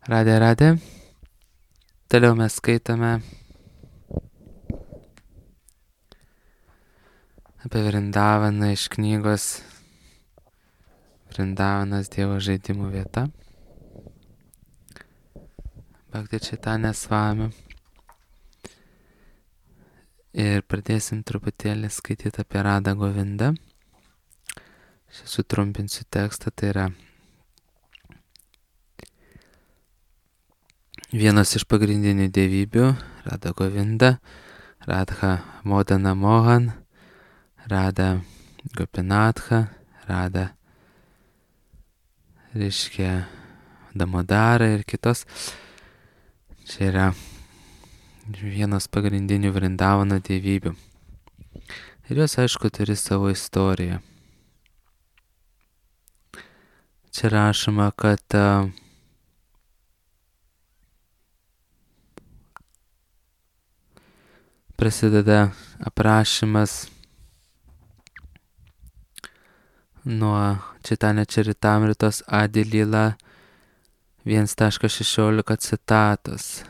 Radė. Toliau mes skaitome apie Vrindavaną iš knygos Vrindavanas Dievo žaidimų vieta. Bhakti Chaitanya Swami. Ir pradėsim truputėlį skaityti apie Radą Govindą. Aš sutrumpinsiu tekstą, tai yra vienas iš pagrindinių dievybių, Rada Govinda, Radha Modana Mohan, Rada Gopinatha, Rada reiškia Damodara ir kitos. Čia yra vienas pagrindinių Vrindavano dievybių. Ir jos, aišku, turi savo istoriją. Čia rašoma, kad prasideda aprašymas nuo Chaitanya Charitamritos Adi Lila 1.16 citatos.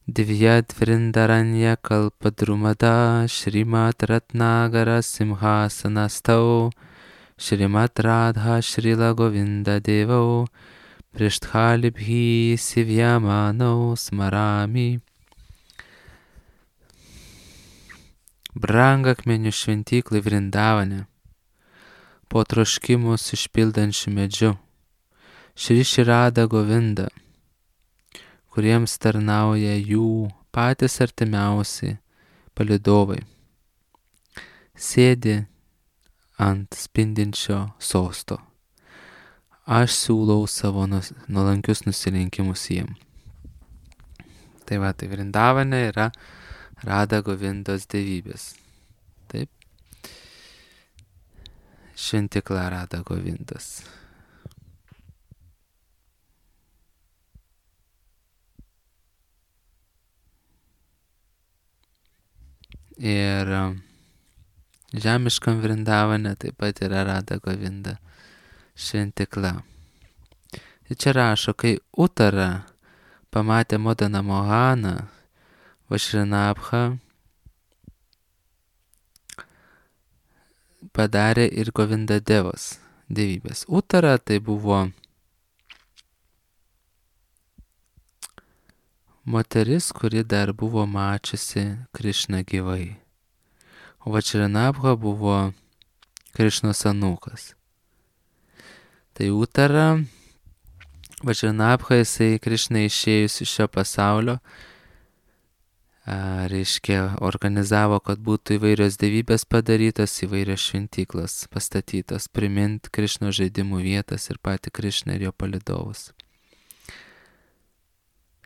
Divyad Vrindaranya Kalpadrumada Shrimat Ratnagara Simhasanastau Shrimat Radha Shrila Govinda Devau Prishthalibhi Sivyamanau Smarami. Brangakmenių šventyklai Vrindavane, po troškimus išpildančių medžiu, Šri Rada Govinda, kuriems tarnauja jų patys artimiausi palydovai, sėdi ant spindinčio sosto. Aš siūlau savo nuolankius nusilenkimus jiem. Tai Vrindavane yra Rada Govindos dievybės. Taip. Šventykla Rada Govindos. Ir žemiškam Vrindavane taip pat yra Rada Govinda šventykla. Ir čia rašo, kai Uttara pamatė Modana Mohaną, Vašrinabha padarė ir Govinda Devos dievybės. Uttara tai buvo moteris, kuri dar buvo mačiusi Krišną gyvai. O Vašrinabha buvo Krišnos anūkas. Tai Uttara, Vašrinabha, jisai Krišnai išėjus iš šio pasaulio, reiškia, organizavo, kad būtų įvairios dievybės padarytos, įvairios šventyklos pastatytos, primint Krišno žaidimų vietas ir patį Krišną ir jo palydovus.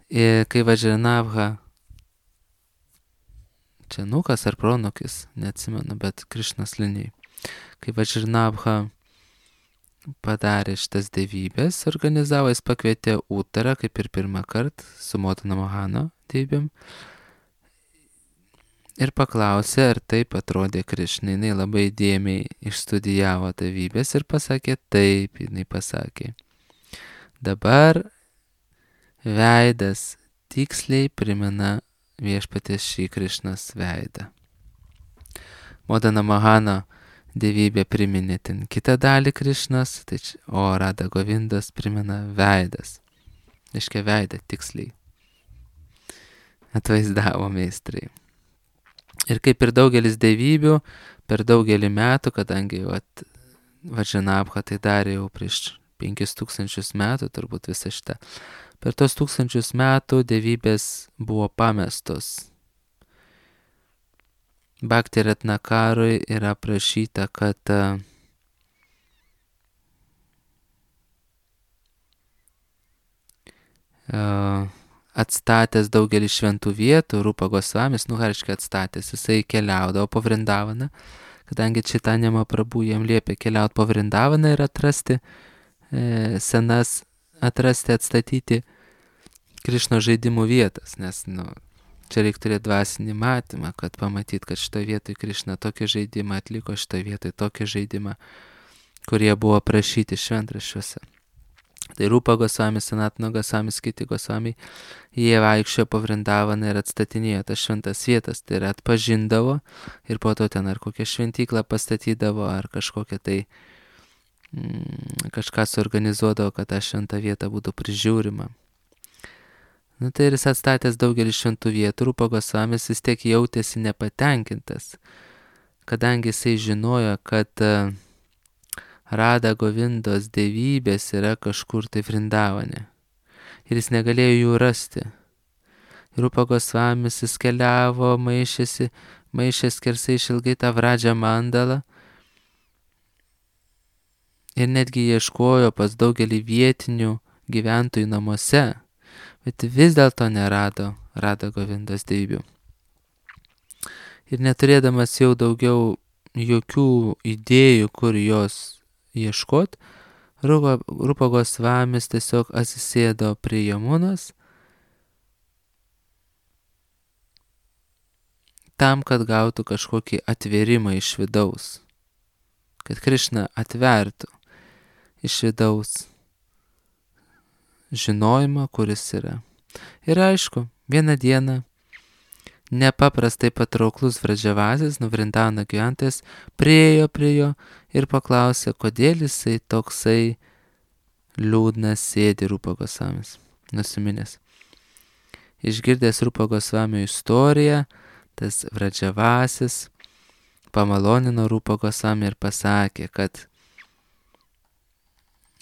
Ir kai Vašrinabha, čia anūkas ar pronukis, neatsimenu, bet Krišnos linijai, kai Vašrinabha padarė šitas dievybės, organizavo, jis pakvietė Uttarą, kaip ir pirmą kartą, su Modana Mohano dievybėm, ir paklausė, ar taip atrodė Krišnai. Jinai labai dėmiai išstudijavo dievybės ir pasakė taip, jinai pasakė. Dabar veidas tiksliai primena viešpaties Šri Krišnos veidą. Modana Mohano dievybė priminė ten kitą dalį Krišnos, o Rada Govindos primena veidas. Reiškia, veidą tiksliai atvaizdavo meistrai. Ir kaip ir daugelis dievybių, per daugelį metų, kadangi Vašrinabha tai darė jau prieš 5000 metų, turbūt visą šitą, per tos 1000 metų dievybės buvo pamestos. Bhakti Ratnakarui yra prašyta, kad atstatęs daugelį šventų vietų, Rupa Gosvamis, reiškia atstatęs, jisai keliaudavo po Vrindavaną, kadangi Chaitanya Mahaprabhu jam liepė keliauti po Vrindavaną ir atrasti atstatyti Krišno žaidimų vietas, nes, čia reikia turėti dvasinį matymą, kad pamatyti, kad šitoje vietoje Krišna tokį žaidimą atliko, šitoje vietoje tokį žaidimą, kurie buvo prašyti šventraščiuose. Tai Rūpa Gosvami, Sanatana Gosvami, kiti Gosvami, jie vaikščiojo po Vrindavaną ir atstatinėjo tas šventas vietas, tai yra atpažindavo ir po to ten ar kokią šventyklą pastatydavo, ar kažkokią tai kažką suorganizuodavo, kad ta šventa vieta būtų prižiūrima. Nu tai ir jis atstatęs daugelį šventų vietų, Rūpa Gosvamis vis tiek jautėsi nepatenkintas, kadangi jisai žinojo, kad Rada Govindos dievybės yra kažkur tai Vrindavane. Ir jis negalėjo jų rasti. Rūpa Gosvamis jis keliavo, maišė skersai išilgai tą Vradžą mandalą ir netgi ieškojo pas daugelį vietinių gyventojų namuose, bet vis dėlto nerado Rada Govindos dievybių. Ir neturėdamas jau daugiau jokių idėjų, kur jos ieškot, Rūpa Gosvamis tiesiog atsisėdo prie Jamunos tam, kad gautų kažkokį atvėrimą iš vidaus, kad Krišna atvertų iš vidaus žinojimą, kuris yra. Ir aišku, vieną dieną nepaprastai patrauklus Vradžavasis, Vrindavano gyventojas, priėjo prie jo ir paklausė, kodėl jisai toksai liūdnas sėdi Rūpa Gosvamis, nusiminęs. Išgirdęs Rūpa Gosvamio istoriją, tas Vradžavasis pamalonino Rūpa Gosvami ir pasakė, kad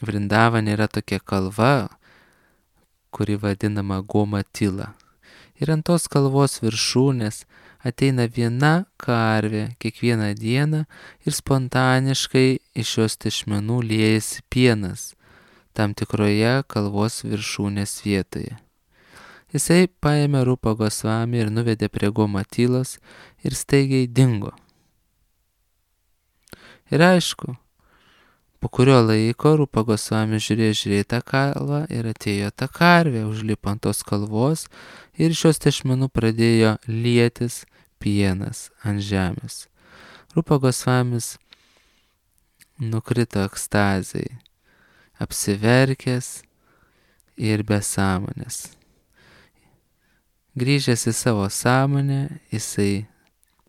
Vrindavane yra tokia kalva, kuri vadinama Gomatila. Ir ant tos kalvos viršūnės ateina viena karvė kiekvieną dieną ir spontaniškai iš jos tešmenų liejasi pienas tam tikroje kalvos viršūnės vietoje. Jisai paėmė Rūpa Gosvami ir nuvedė prie Gomatilos ir staigiai dingo. Ir aišku, po kurio laiko Rūpa Gosvami žiūrėjo tą kalvą ir atėjo ta karvė, užlipo ant tos kalvos ir iš jos tešmenų pradėjo lietis pienas ant žemės. Rūpa Gosvamis nukrito ekstazai, apsiverkęs ir be sąmonės. Grįžęs į savo sąmonę, jisai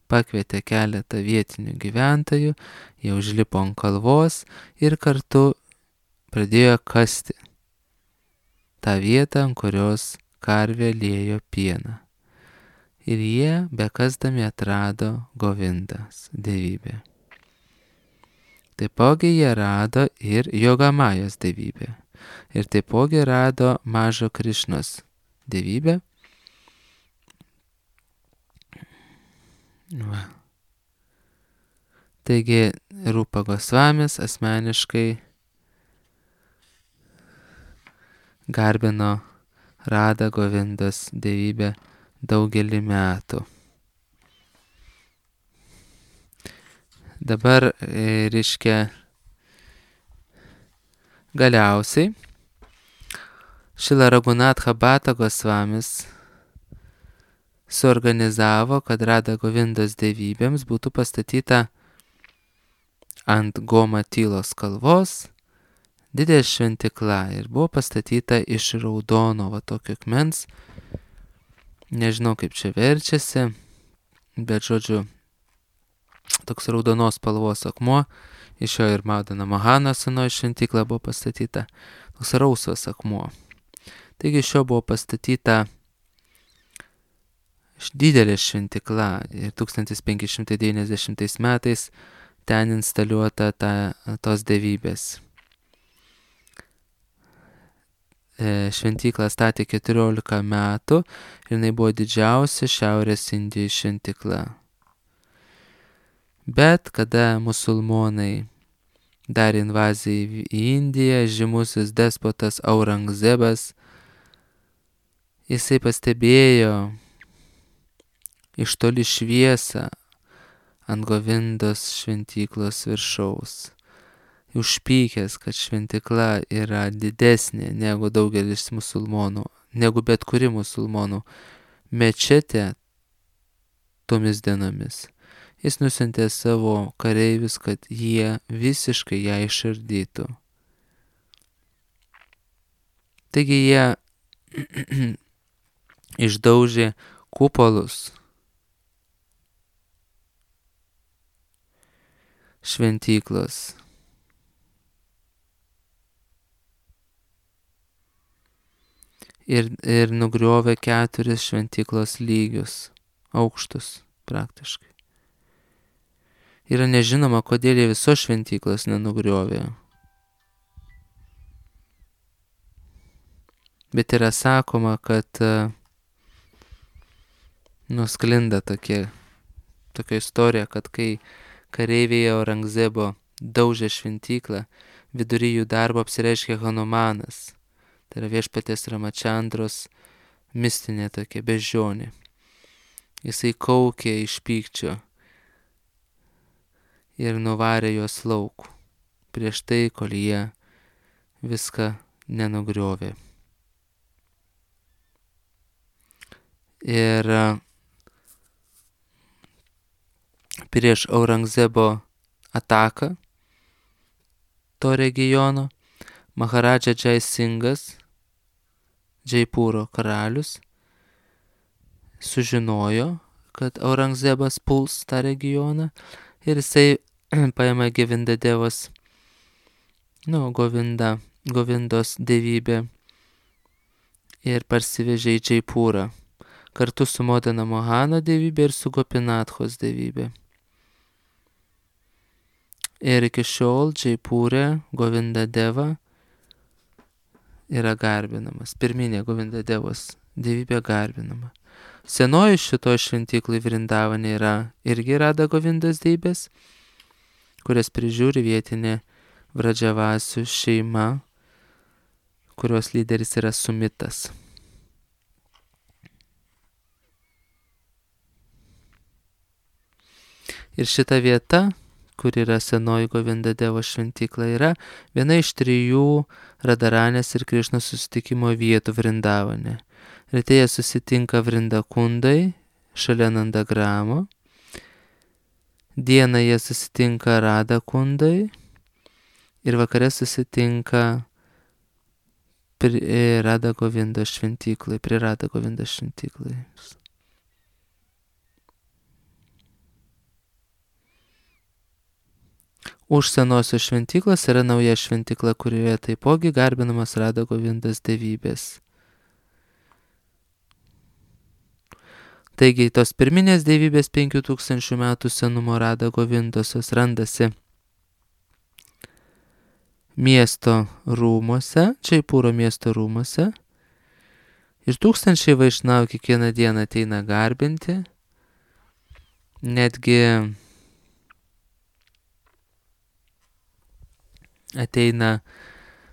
pakvietė keletą vietinių gyventojų, jie užlipo ant kalvos ir kartu pradėjo kasti tą vietą, ant kurios karvė liejo pieną. Ir jie bekasdami atrado Govindas dievybę. Taipogi jie rado ir Jogamajos dievybę. Ir taipogi rado mažo Krišnos dievybę. Va. Taigi Rūpa Gosvamis asmeniškai garbino Rada Govindos dievybę daugelį metų. Dabar, reiškia, galiausiai Šrila Raghunatha Bhatta Gosvamis suorganizavo, kad Rada Govindos dievybėms būtų pastatyta ant Gomatilos kalvos didelė šventykla ir buvo pastatyta iš raudono tokio akmens. Nežinau, kaip čia verčiasi, bet žodžiu, toks raudonos spalvos akmuo, iš jo ir Madana Mohano senoji šventykla buvo pastatyta, toks rausvas akmuo. Taigi iš jo buvo pastatyta didelė šventykla ir 1590 metais ten instaliuota tos dievybės. Šventyklą statė 14 metų ir jinai buvo didžiausia Šiaurės Indijos šventykla. Bet kada musulmonai darė invaziją į Indiją, žymusis despotas Aurangzebas, jisai pastebėjo iš toli šviesą ant Govindos šventyklos viršaus. Užpykęs, kad šventykla yra didesnė negu daugelis musulmonų, negu bet kuri musulmonų mečetė tomis dienomis. Jis nusiuntė savo kareivius, kad jie visiškai ją išardytų. Taigi jie išdaužė kupolus šventyklos. Ir nugriovė 4 šventyklos lygius, aukštus praktiškai. Yra nežinoma, kodėl jie visos šventyklos nenugriovė. Bet yra sakoma, kad nusklinda tokia istorija, kad kai kareiviai Aurangzebo daužė šventyklą, vidury jų darbo apsireiškė Hanumanas. Tai yra viešpaties Ramachandros mistinė tokia beždžionė. Jisai kaukė iš pykčio ir nuvarė juos lauk prieš tai, kol jie viską nenugriovė. Ir prieš Aurangzebo ataką to regiono Maharadža Jai Singas, Džaipūro karalius, sužinojo, kad Aurangzebas puls tą regioną ir jisai paėmė Govindadevos, Govindos dievybę ir parsivežė į Džaipūrą kartu su Modana Mohano dievybė ir su Gopinathos dievybė. Ir iki šiol Džaipūre Govindadeva yra garbinamas. Pirminė Govindadevos dievybė garbinama. Senoji šitoj šventyklai Vrindavane yra irgi Rada Govindos dievybės, kurias prižiūri vietinė Vradžavasių šeima, kurios lyderis yra Sumitas. Ir šita vieta, kur yra senoji Govindadevos šventykla, yra viena iš 3 Radharanės ir Krišnos susitikimo vietų Vrindavane. Ryte jie susitinka Vrindakundai, šalia Nandagramo. Dieną jie susitinka Radakundai ir vakare susitinka prie Rada Govindos šventyklai, Už senosios šventyklos yra nauja šventykla, kurioje taipogi garbinamas Rada Govindos dievybės. Taigi tos pirminės dievybės 5000 metų senumo Rada Govindosios randasi miesto rūmuose, Džaipūro miesto rūmuose. Ir 1000 vaišnavų kiekvieną dieną ateina garbinti. Netgi ateina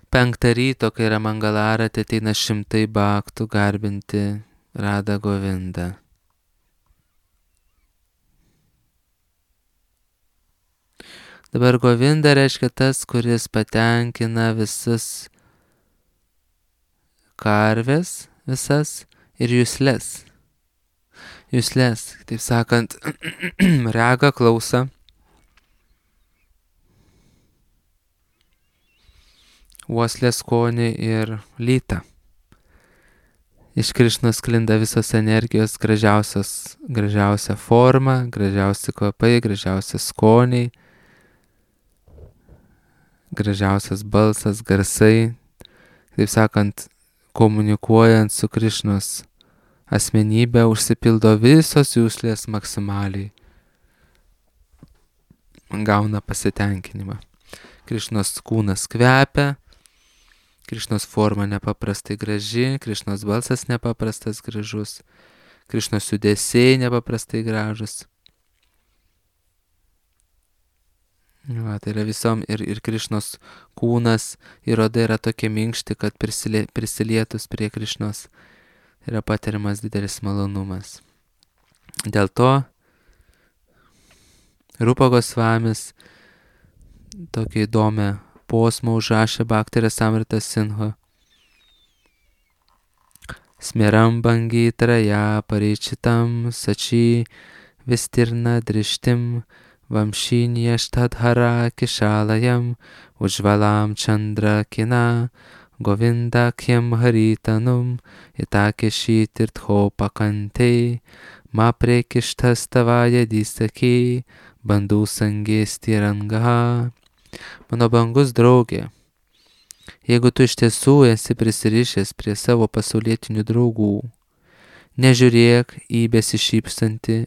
5 ryto, kai yra Mangalarati, ateina 100 bhaktų garbinti Rada Govindą. Dabar Govinda reiškia tas, kuris patenkina visas karves, visas ir jusles. Jusles, taip sakant, regą, klausą. Uoslę, skonį ir lytą. Iš Krišnos sklinda visos energijos, gražiausia forma, gražiausi kvapai, gražiausi skoniai, gražiausias balsas, garsai. Taip sakant, komunikuojant su Krišnos asmenybė, užsipildo visos juslės maksimaliai. Gauna pasitenkinimą. Krišnos kūnas kvepia, Krišnos forma nepaprastai graži, Krišnos balsas nepaprastas gražus, Krišnos judesiai nepaprastai gražus. Va, tai yra visom ir Krišnos kūnas ir oda yra tokie minkšti, kad prisilietus prie Krišnos yra patiriamas didelis malonumas. Dėl to Rupa Gosvamis tokia įdomią posmą užrašė Bhakti Rasamrita Sindhu. Smeram bangitraja paričitam sači vistirna drishtim vamshinyaštadhara kishalayam ujvalam chandra kina Govindakyam haritanum itakeshirtho pakante ma prekishtastavaya disaki bandų sangėstirangaha. Mano brangus draugė, jeigu tu iš tiesų esi prisirišęs prie savo pasaulietinių draugų, nežiūrėk į besišypsantį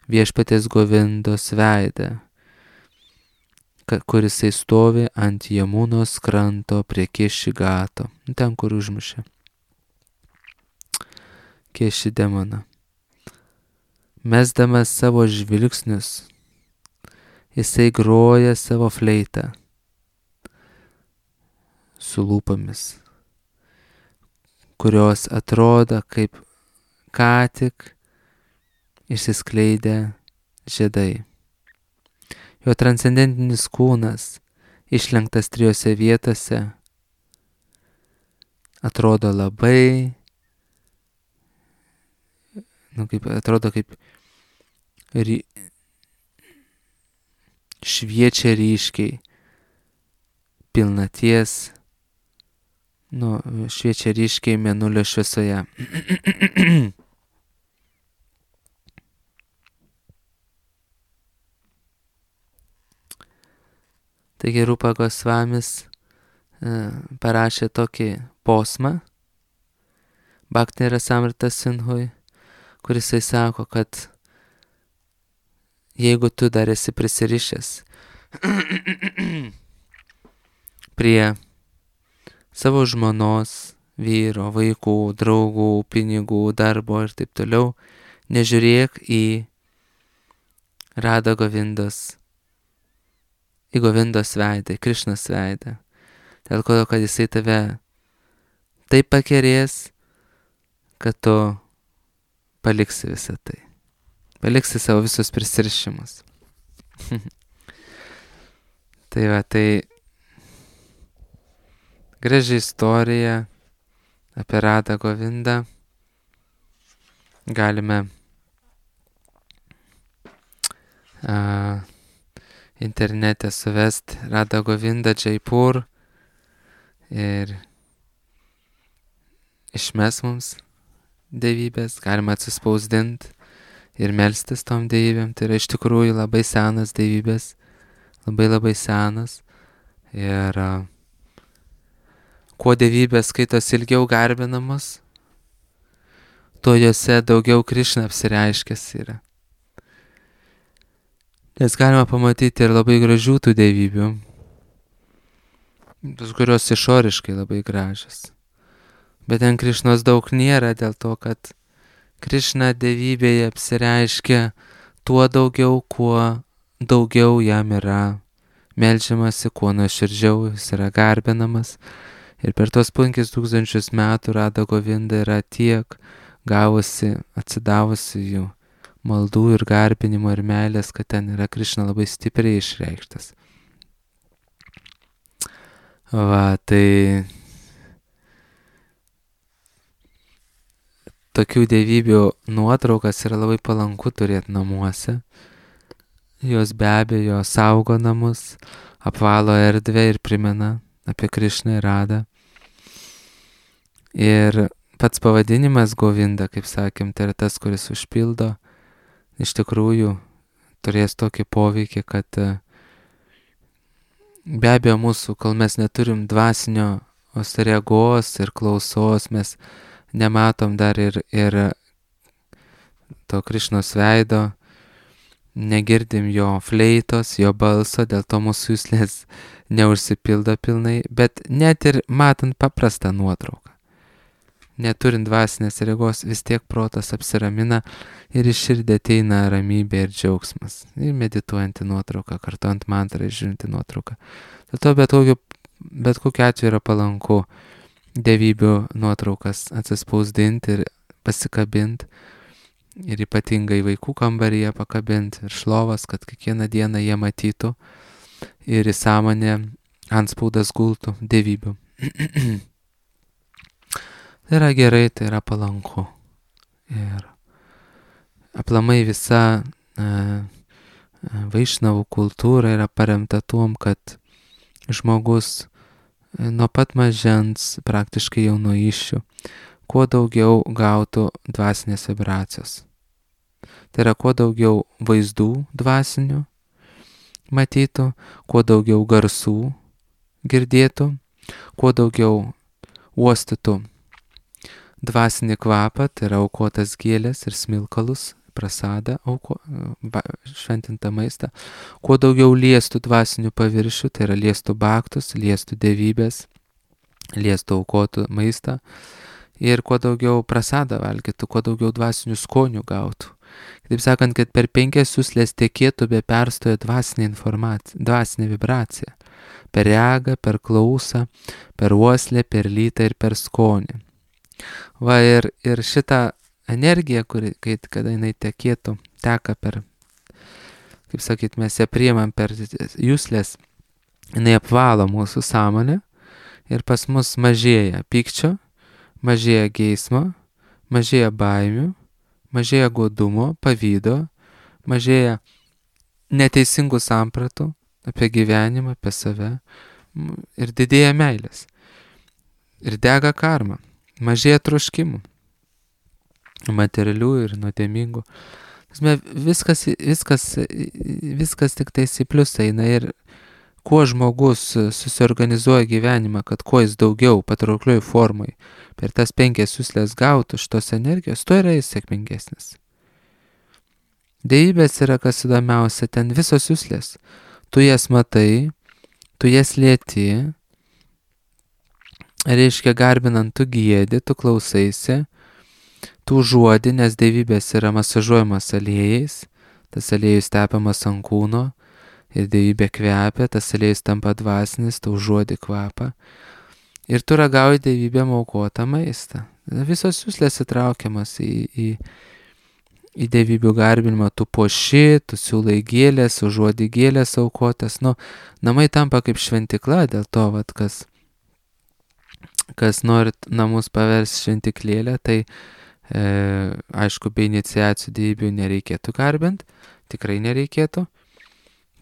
viešpaties Govindos veidą, kuris stovi ant Jamunos kranto prie Kešigato, ten kur užmušė Keši demoną. Mesdamas savo žvilgsnius, jisai groja savo fleitą su lūpomis, kurios atrodo kaip ką tik išsiskleidę žiedai. Jo transcendentinis kūnas, išlenktas 3 vietose, atrodo labai, atrodo kaip šviečia ryškiai pilnaties, šviečia ryškiai mėnulio šviesoje. Taigi Rupa Gosvamis parašė tokį posmą Bhakti Rasamrita Sindhui, kuris sako, kad jeigu tu dar esi prisirišęs prie savo žmonos, vyro, vaikų, draugų, pinigų, darbo ir taip toliau, nežiūrėk į Radha Govindos, į Govindos veidą, į Krišnos veidą. Dėl to, kad jisai tave taip pakerės, kad tu paliksi visą tai. Paliksi savo visus prisirišimus. Tai va, tai graži istorija apie Radha Govindą. Galime internete suvesti Radha Govinda Jaipur ir išmes mums dievybės, galima atsispausdinti ir melstis tom dievybėm. Tai yra iš tikrųjų labai senas dievybės, labai senas. Ir kuo dievybės skaitos ilgiau garbinamos, tuo jose daugiau Krišna apsireiškęs yra. Nes galima pamatyti ir labai gražių tų dievybių, tos kurios išoriškai labai gražios. Bet ten Krišnos daug nėra dėl to, kad Krišna dievybėje apsireiškia tuo daugiau, kuo daugiau jam yra meldžiamasi, kuo nuoširdžiau jis yra garbinamas. Ir per tos 5000 metų Radha Govinda yra tiek gavusi, atsidavusi jų maldų ir garbinimo ir meilės, kad ten yra Krišna labai stipriai išreikštas. Va, tai tokių dievybių nuotraukas yra labai palanku turėti namuose. Jos be abejo saugo namus, apvalo erdvę ir primena apie Krišną ir Radhą. Ir pats pavadinimas Govinda, kaip sakėm, tai yra tas, kuris užpildo, iš tikrųjų turės tokį poveikį, kad be abejo mūsų, kol mes neturim dvasinio regos ir klausos, mes nematom dar ir to Krišnos veido, negirdim jo fleitos, jo balso, dėl to mūsų juslės neužsipildo pilnai, bet net ir matant paprastą nuotrauką, neturint dvasinės regos, vis tiek protas apsiramina ir iš širdį ateina ramybė ir džiaugsmas. Ir medituojantį nuotrauką, kartuojant mantrą ir žiūrinti nuotrauką. Dėl to bet kokiu atveju yra palanku dievybių nuotraukas atsispausdinti ir pasikabinti. Ir ypatingai vaikų kambaryje pakabinti ir šlovas, kad kiekvieną dieną jie matytų ir į sąmonę antspaudas gultų dievybių. Tai yra gerai, tai yra palanku. Ir aplamai visa vaišnavų kultūra yra paremta tuom, kad žmogus nuo pat mažens, praktiškai jau nuo iššių, kuo daugiau gautų dvasinės vibracijos. Tai yra kuo daugiau vaizdų dvasinių matytų, kuo daugiau garsų girdėtų, kuo daugiau uostytų dvasinį kvapą, tai yra aukotas gėlės ir smilkalus, prasadą, šventintą maistą, kuo daugiau liestų dvasinių paviršių, tai yra liestų baktus, liestų dievybės, liestų aukotų maistą ir kuo daugiau prasadą valgytų, kuo daugiau dvasinių skonių gautų. Taip sakant, kad per 5 juslės tekėtų be perstojo dvasinė informacija, dvasinė vibracija. Per regą, per klausą, per uoslę, per lytą ir per skonį. Va ir šitą energiją, kada jinai teka per, kaip sakyt, mes ją priimam per juslės, jinai apvalo mūsų sąmonę ir pas mus mažėja pykčio, mažėja geismo, mažėja baimių, mažėja godumo, pavydo, mažėja neteisingų sampratų apie gyvenimą, apie save ir didėja meilės. Ir dega karma, mažėja troškimų, materialių ir nuodėmingų. Viskas tik tais į pliusą eina ir kuo žmogus susiorganizuoja gyvenimą, kad kuo jis daugiau patrauklioj formai per tas 5 juslės gautų šitos energijos, tuo yra jis sėkmingesnis. Dievybės yra kas įdomiausia, ten visos juslės. Tu jas matai, tu jas lieti, reiškia garbinant tu giedi, tu klausaisi, tu užuodi, nes dievybės yra masažuojamas aliejais, tas aliejus tepamas ant kūno ir dievybė kvepia, tas aliejus tampa dvasinis, tu užuodi kvapą ir tu ragauji dievybėm aukotą maistą. Visos juslės įtraukiamas į dievybių garbinimą, tu puoši, tu siūlai gėlės, užuodi gėlės aukotas, namai tampa kaip šventikla, dėl to, kas norit namus paversti šventiklėlę, tai aišku, be iniciacijų dievybių nereikėtų garbinti, tikrai nereikėtų,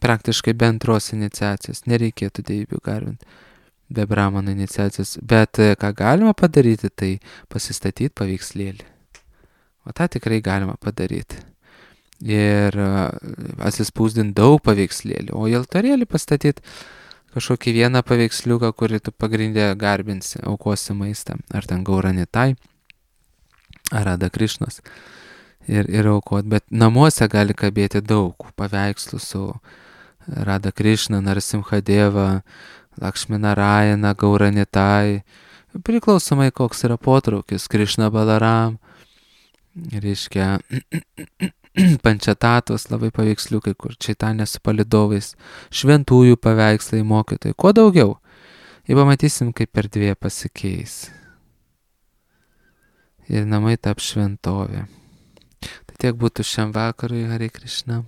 praktiškai be antros iniciacijos nereikėtų dievybių garbinti, be brahmano iniciacijos, bet ką galima padaryti, tai pasistatyti paveikslėlį. O tą tikrai galima padaryti. Ir atsispausdinti daug paveikslėlių, o į altorėlį pastatyti kažkokį vieną paveiksliuką, kurį tu pagrindė garbinsi, aukosi maistą, ar ten Gauranitai, ar Radha Krišnos ir aukot. Bet namuose gali kabėti daug paveikslų su Radha Krišna, Narasimhadeva, Lakšminarajana, Gauranitai, priklausomai koks yra potraukis, Krišna Balaram, reiškia pančatatos labai paveiksliukai, kur Čaitanė su palidovais, šventųjų paveikslai, mokytojai, kuo daugiau. Ir pamatysim, kaip per 2 pasikeis. Ir namai taps šventovė. Tai tiek būtų šiam vakarui, Hare Krishna.